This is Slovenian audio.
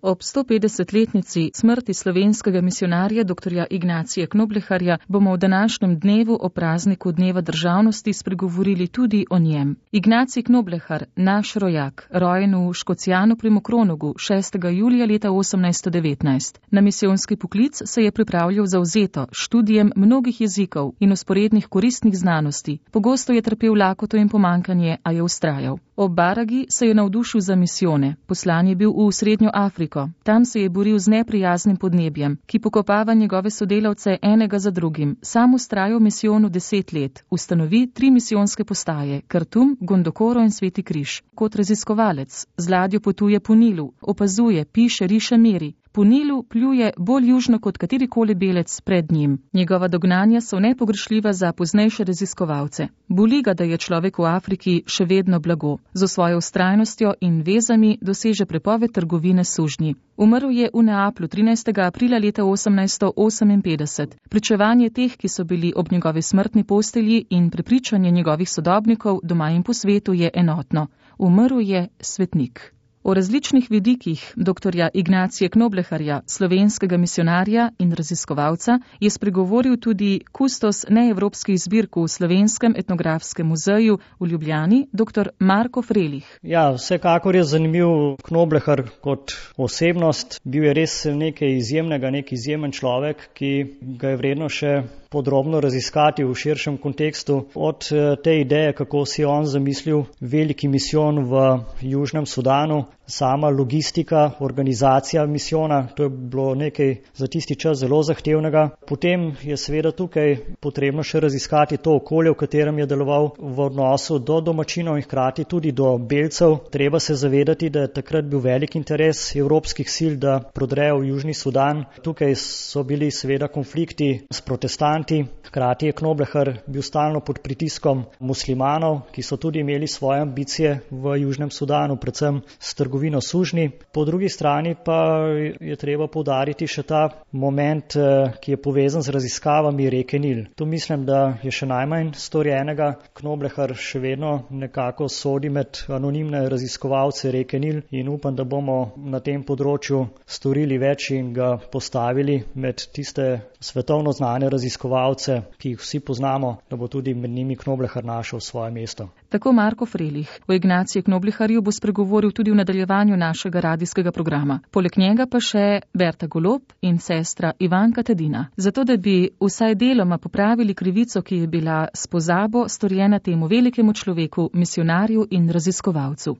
Ob 150-letnici smrti slovenskega misijonarja dr. Ignacija Knobleharja bomo v današnjem dnevu o prazniku Dneva državnosti spregovorili tudi o njem. Ignacij Knoblehar, naš rojak, rojen v Škocjanu pri Mokronogu 6. julija leta 1819. Na misijonski poklic se je pripravljal zavzeto študijem mnogih jezikov in usporednih koristnih znanosti. Pogosto je trpel lakoto in pomankanje, a je vztrajal. Ob Baragi se je navdušil za misijone. Poslan je bil v Srednjo Afriko. Tam se je boril z neprijaznim podnebjem, ki pokopava njegove sodelavce enega za drugim. Sam vztrajal v misijonu 10 let. Ustanovi 3 misijonske postaje: Kartum, Gondokoro in Sveti križ. Kot raziskovalec z ladjo potuje po Nilu, opazuje, piše, riše, meri. Po Nilu pljuje bolj južno kot katerikoli belec pred njim. Njegova dognanja so nepogrešljiva za poznejše raziskovalce. Boli ga, da je človek v Afriki še vedno blago. Z svojo vztrajnostjo in vezami doseže prepoved trgovine s sužnji. Umrl je v Neaplju 13. aprila leta 1858. Pričevanje teh, ki so bili ob njegovi smrtni postelji, in prepričanje njegovih sodobnikov doma in po svetu je enotno. Umrl je svetnik. O različnih vidikih dr. Ignacija Knobleharja, slovenskega misijonarja in raziskovalca, je spregovoril tudi kustos neevropskih zbirk v Slovenskem etnografskem muzeju v Ljubljani, dr. Marko Frelih. Ja, vsekakor je zanimiv Knoblehar kot osebnost. Bil je res nekaj izjemnega, nek izjemen človek, ki ga je vredno še podrobno raziskati v širšem kontekstu. Od te ideje, kako si je on zamislil veliki misijon v Južnem Sudanu, sama logistika, organizacija misijona, to je bilo nekaj za tisti čas zelo zahtevnega. Potem je seveda tukaj potrebno še raziskati to okolje, v katerem je deloval v odnosu do domačinov in hkrati tudi do belcev. Treba se zavedati, da je takrat bil velik interes evropskih sil, da prodrejo v Južni Sudan. Tukaj so bili seveda konflikti s protestanti. Hkrati je Knoblehar bil stalno pod pritiskom muslimanov, ki so tudi imeli svoje ambicije v Južnem Sudanu, predvsem s trgovino sužnji. Po drugi strani pa je treba poudariti še ta moment, ki je povezan z raziskavami reke Nil. Tu mislim, da je še najmanj storjenega. Knoblehar še vedno nekako sodi med anonimne raziskovalce reke Nil in upam, da bomo na tem področju storili več in ga postavili med tiste svetovno znane raziskovalce, ki jih vsi poznamo, da bo tudi med njimi Knoblehar našel svoje mesto. Tako Marko Frelih. O Ignaciju Knobleharju bo spregovoril tudi v nadaljevanju našega radijskega programa. Poleg njega pa še Berta Golob in sestra Ivanka Tedina. Zato, da bi vsaj deloma popravili krivico, ki je bila s pozabo storjena temu velikemu človeku, misijonarju in raziskovalcu.